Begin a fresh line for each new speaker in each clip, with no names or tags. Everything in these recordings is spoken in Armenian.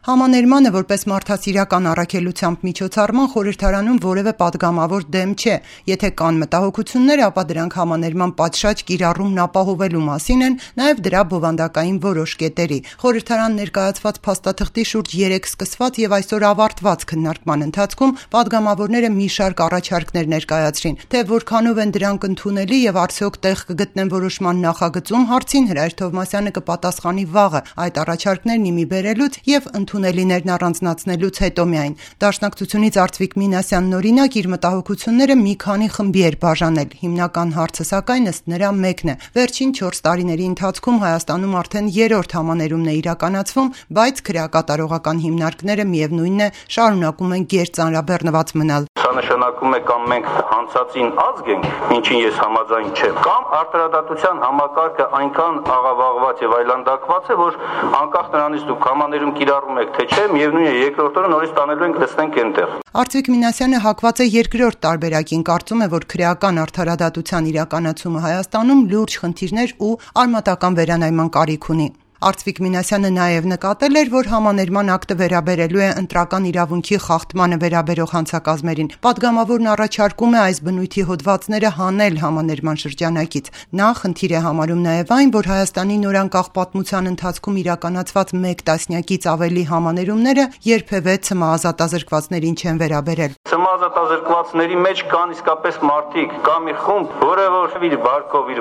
Համաներմանը որպես մարդասիրական առաքելությամբ միջոցառման խորհրդարանում որևէ պատգամավոր դեմ չէ, եթե կան մտահոգություններ, ապա դրանք համաներման պատշաճ կիրառումն ապահովելու մասին են, նաև դրա բովանդակային որոշ կետերի։ Խորհրդարան ներկայացված փաստաթղթի շուրջ 3 սկսված եւ այսօր ավարտված քննարկման ընթացքում պատգամավորները մի շարք առաջարկներ ներկայացրին, թե որքանով են դրանք ընդունելի եւ արդյոք տեղ կգտնեն որոշման նախագծում հարցին Հրայր Թովմասյանը կպատասխանի վաղը այդ առաջարկներն իմի բերելուց եւ ընդունելիներն առանձնացնելուց հետո միայն։ Դաշնակցությունից Արծվիկ Մինասյանն օրինակ իր մտահոգությունները մի քանի խմբի էր բաժանել։ Հիմնական հարցը սակայն ըստ նրա մեկն է։ Վերջին 4 տարիների ընթացքում Հայաստանում արդեն 3-րդ համաներումն է իրականացվում, բայց քրեակատարողական հիմնարկները միևնույնն է շարունակում են գերծանրաբեռնված մնալ։
Սա նշանակում է կամ մենք հանցածին ազգ ենք, ինչին ես համաձայն չեմ, կամ արտարադատության համակարգը այնքան աղավաղված եւ այլանդակված է, որ անկախ նրանից դուք համաներում կիրառում եք թե չէ, միևնույն է երկրորդ օրը նորից տանելու ենք տեսնենք այնտեղ։
Արծվիկ Մինասյանը հակված է երկրորդ տարբերակին, կարծում է, որ քրեական արտարադատության իրականացումը Հայաստանում լուրջ խնդիրներ ու արմատական վերանայման կարիք ունի։ Արծվիկ Մինասյանը նաև նկատել էր, որ համաներման ակտը վերաբերելու է ընտրական իրավունքի խախտմանը վերաբերող հանցակազմերին։ Պատգամավորն առաջարկում է այս բնույթի հոդվածները հանել համաներման շրջանակից։ Նա խնդիր է համարում նաև այն, որ Հայաստանի նորանկախ պատմության ընթացքում իրականացված 1 տասնյակից ավելի համաներումները երբևէ ցմահազատազրկվածներին չեն վերաբերել։
Ցմահազատազրկվածների մեջ կան իսկապես մարդիկ, կա մի խումբ, որը որ իր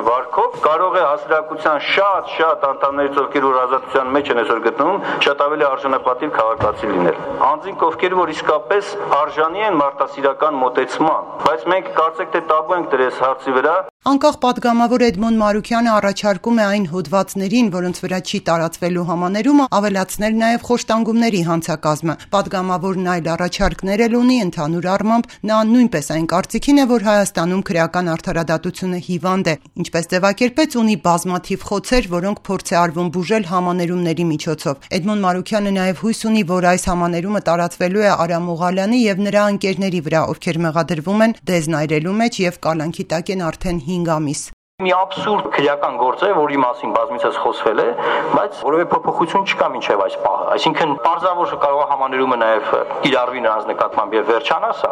վարկով կարող է հասարակության շատ անդամներից, ովքեր որ ազատության մեջ են այսօր գտնվում, շատ ավելի արժանապատիվ քաղաքացի լինել։ Անձինք, ովքեր որ իսկապես արժանի են մարդասիրական մոտեցման, բայց մենք կարծեք թե տաբու ենք դրես հարցի վրա։
Անկախ պատգամավոր Էդմոն Մարուքյանը առաջարկում է այն հոդվածներին, որոնց վրա չի տարածվելու համաներումը, ավելացնել նաև խոշտանգումների հանցակազմը։ Պատգամավորն այլ առաջարկներ էլ ունի, ընդհանուր առմամբ նա նույնպես այն կարծիքին է, որ Հայաստանում քրեական արդարադատությունը հիվանդ է, ինչպես ձևակերպեց, ունի բազմաթիվ խոցեր, որոնք փորձ է արվում բուժել համաներումների միջոցով։ Էդմոն Մարուքյանը նաև հույս ունի, որ այս համաներումը տարածվելու է Արամ Օղալյանի եւ նրա ընկերների վրա, ովքեր մեղադրվում են դեզնայրելու մեջ եւ կալանքի տակ են արդեն 5 ամիս։
Մի աբսուրդ քրեական գործ է, որի մասին բազմիցս խոսվել է, բայց որևէ փոփոխություն չկա մինչև այս պահը։ Այսինքն պարզավոր կարող է համաներումը նաև կիրառվի նրանց նկատմամբ եւ վերջանա սա,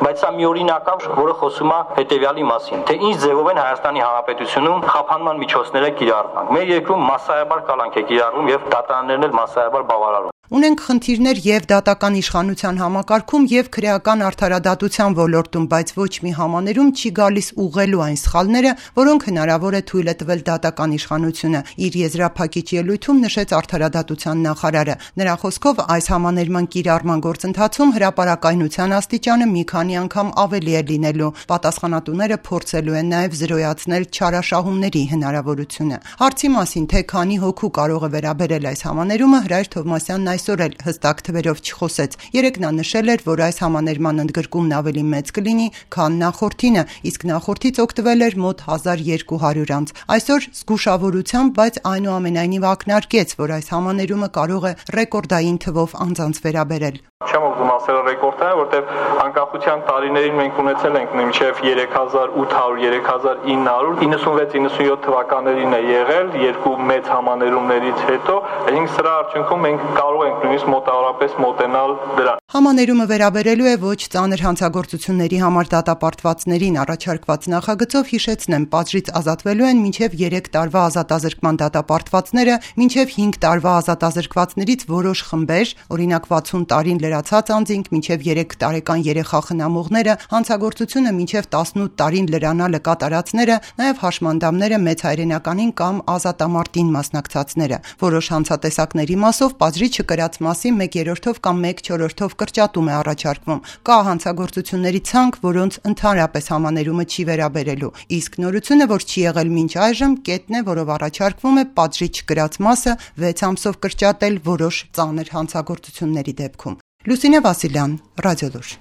բայց սա մի օրինակ է, որը խոսում է հետեւյալի մասին, թե ինչ ձևով են Հայաստանի Հանրապետությունում խափանման միջոցները կիրառվում։ Մեր երկրում մասսայաբար կալանք է կիրառվում եւ դատարաններն էլ մասսայաբար բավարարում։
Ունենք խնդիրներ եւ դատական իշխանության համակարգում եւ քրեական արդարադատության ոլորտում, բայց ոչ մի համաներում չի գալիս ուղղելու այն սխալները, որոնք հնարավոր է թույլ է տվել դատական իշխանությունը, իր եզրափակիչ ելույթում նշեց արդարադատության նախարարը։ Նրա խոսքով այս համաներման կիրառման գործընթացում հրապարակայնության աստիճանը մի քանի անգամ ավելի է լինելու։ Պատասխանատուները փորձելու են նաեւ զրոյացնել չարաշահումների հնարավորությունը։ Հարցի մասին, թե քանի հոգու կարող է վերաբերել այս համաներումը, Հրայր Թովմասյանն այսօր էլ հստակ թվերով չխոսեց։ Երեկ նա նշել էր, որ այս համաներման ընդգրկումն ավելի մեծ կլինի, քան նախորդինը, իսկ նախորդից օգտվել էր մոտ 1200 անձ։ Այսօր զգուշավորությամբ, բայց այնուամենայնիվ ակնարկեց, որ այս համաներումը կարող է ռեկորդային թվով անձանց վերաբերել։
Չեմ ուզում ասել ռեկորդային, որտեղ անկախության տարիներին մենք ունեցել ենք մինչև 3800, 3900, 96-97 թվականներին է եղել երկու մեծ համաներումներից հետո, այսինքն սրա արդյունքում մենք կարող ենք նույնիսկ մոտավորապես մոտենալ դրան։
Համաներումը վերաբերելու է ոչ ծանր հանցագործությունների համար դատապարտվածներին առաջարկված նախագծով հիշեցնեմ, պատժից ազատվելու են մինչև 3 տարվա ազատազրկման դատապարտվածները, մինչև 5 տարվա ազատազրկվածներից որոշ խմբեր, օրինակ 60 տարին լրացած անձինք, մինչև 3 տարեկան երեխա խնամողները, հանցագործությունը մինչև 18 տարին լրանալը կատարածները, նաև հաշմանդամները մեծ հայրենականին կամ ազատամարտին մասնակցածները։ Որոշ հանցատեսակների մասով պատժի չկրած մասի 1/3 կամ 1/4 կրճատում է առաջարկվում։ Կա հանցագործությունների ցանկ, որոնց ընդհանրապես համաներումը չի վերաբերելու։ Իսկ նորությունը, որ չի եղել մինչ այժմ, կետն է, որով առաջարկվում է պատժի չկրած մասը 6 ամսով կրճատել որոշ ծանր հանցագործությունների դեպքում։ Լուսինե Վասիլյան, Ռադիոլուր։